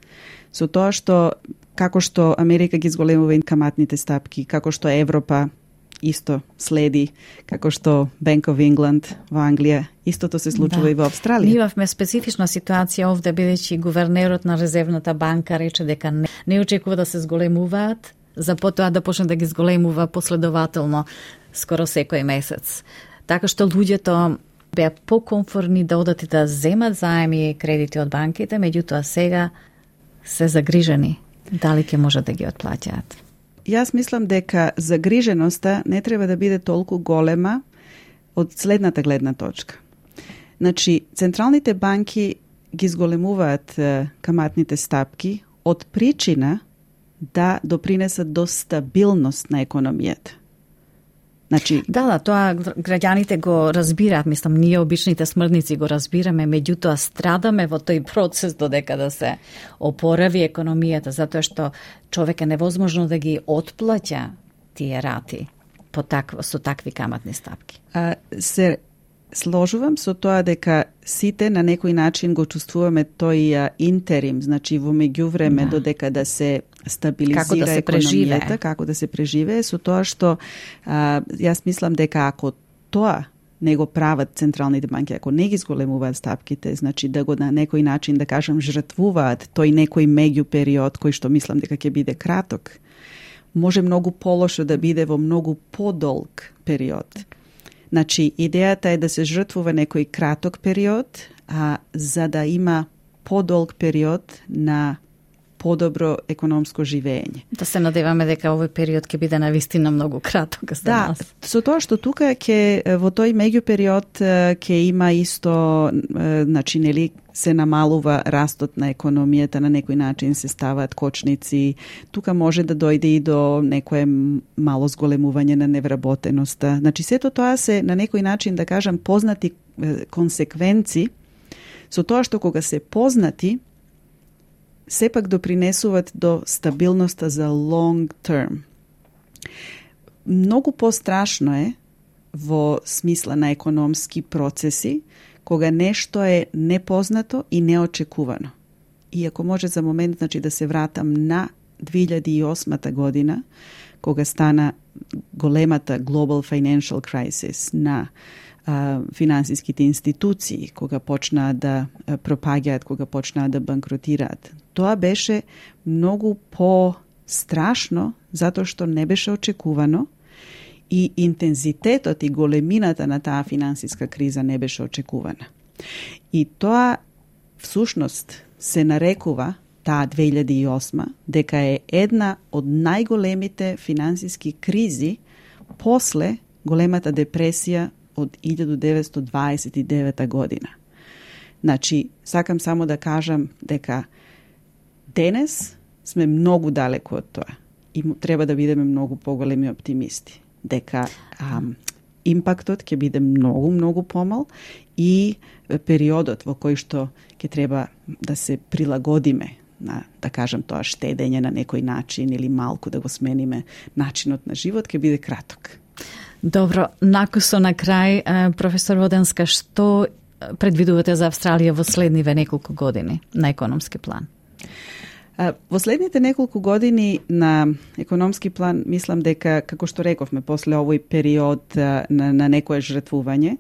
Со тоа што, како што Америка ги зголемува каматните стапки, како што Европа исто следи, како што Bank of England во Англија, истото се случува да. И во Австралија. Ние имавме специфична ситуација овде, бидејќи гувернерот на Резервната банка рече дека не, не очекува да се зголемуваат, за потоа да почне да ги зголемува последователно скоро секој месец. Така што луѓето беа покомфортни да одат и да земат заеми и кредити од банките, меѓутоа сега се загрижени дали ќе можат да ги отплаќаат. Јас мислам дека загриженоста не треба да биде толку голема од следната гледна точка. Значи, централните банки ги зголемуваат каматните стапки од причина да допринесат до стабилност на економијата. Значи, да, да, тоа граѓаните го разбираат, мислам, ние обичните смртници го разбираме, меѓутоа страдаме во тој процес додека да се опорави економијата, затоа што човек е невозможно да ги отплаќа тие рати. по такво, со такви каматни стапки? А, се сложувам со тоа дека сите на некој начин го чувствуваме тој а, интерим, значи во меѓувреме да. Додека да се стабилизира како да се економијата, преживее. како да се преживее, со тоа што а, јас мислам дека ако тоа не го прават централните банки, ако не ги зголемуваат стапките, значи да го на некој начин, да кажам, жртвуваат тој некој меѓу период кој што мислам дека ќе биде краток, може многу полошо да биде во многу подолг период. Значи, идејата е да се жртвува некој краток период, а за да има подолг период на подобро економско живење. Да се надеваме дека овој период ќе биде навистина многу краток за да, нас. Да, со тоа што тука ќе во тој меѓупериод ќе има исто, значи нели се намалува растот на економијата, на некој начин се ставаат кочници. Тука може да дојде и до некое мало зголемување на невработеноста. Значи сето тоа се на некој начин, да кажам, познати консеквенци со тоа што кога се познати сепак допринесуваат до стабилноста за long term. Многу пострашно е во смисла на економски процеси кога нешто е непознато и неочекувано. И ако може за момент, значи да се вратам на две илјади и осма година, кога стана големата global financial crisis на а, финансиските институции, кога почнаа да а, пропаѓаат, кога почнаа да банкротираат. Тоа беше многу по-страшно, затоа што не беше очекувано и интензитетот и големината на таа финансиска криза не беше очекувана. И тоа всушност се нарекува таа две илјади и осма дека е една од најголемите финансиски кризи после големата депресија од илјада деветстотини дваесет и девета година. Значи, сакам само да кажам дека денес сме многу далеко од тоа и треба да бидеме многу поголеми оптимисти. Дека ам, импактот ќе биде многу, многу помал и периодот во кој што ќе треба да се прилагодиме на, да кажем тоа, штедење на некој начин или малку да го смениме начинот на живот, ќе биде краток. Добро, накусо на крај, професор Воденска, што предвидувате за Австралија во следниве неколку години на економски план? Во следните неколку години на економски план, мислам дека, како што рековме, после овој период на, на некое жртвување,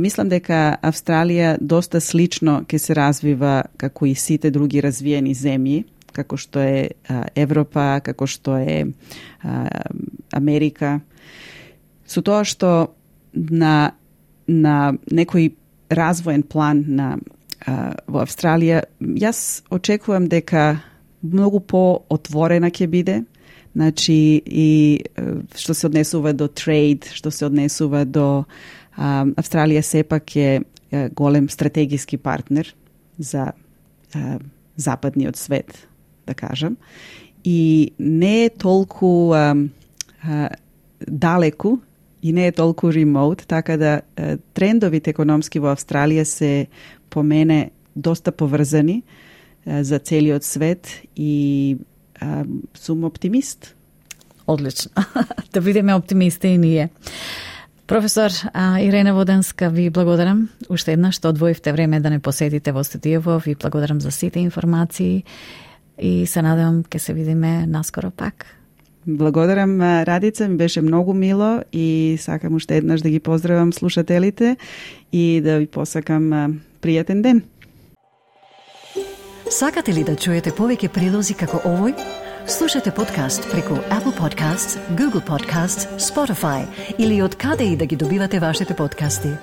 мислам дека Австралија доста слично ќе се развива како и сите други развиени земји, како што е Европа, како што е Америка, со тоа што на, на некој развоен план на во Австралија, јас очекувам дека многу по-отворена ќе биде, значи и што се однесува до трейд, што се однесува до а, Австралија сепак е голем стратегиски партнер за а, западниот свет, да кажам, и не е толку а, а, далеку и не е толку ремоут, така да а, трендовите економски во Австралија се по мене доста поврзани а, за целиот свет и а, сум оптимист. Одлично. Да бидеме оптимисти и ние. Професор а, Ирена Воденска, ви благодарам уште еднаш што одвоивте време да не посетите во студиово. Ви благодарам за сите информации и се надевам ќе се видиме наскоро пак. Благодарам, Радица, ми беше многу мило и сакам уште еднаш да ги поздравам слушателите и да ви посакам пријатен ден. Сакате ли да чуете повеќе прилози како овој? Слушате подкаст преку Apple Podcasts, Google Podcasts, Spotify или од каде и да ги добивате вашите подкасти.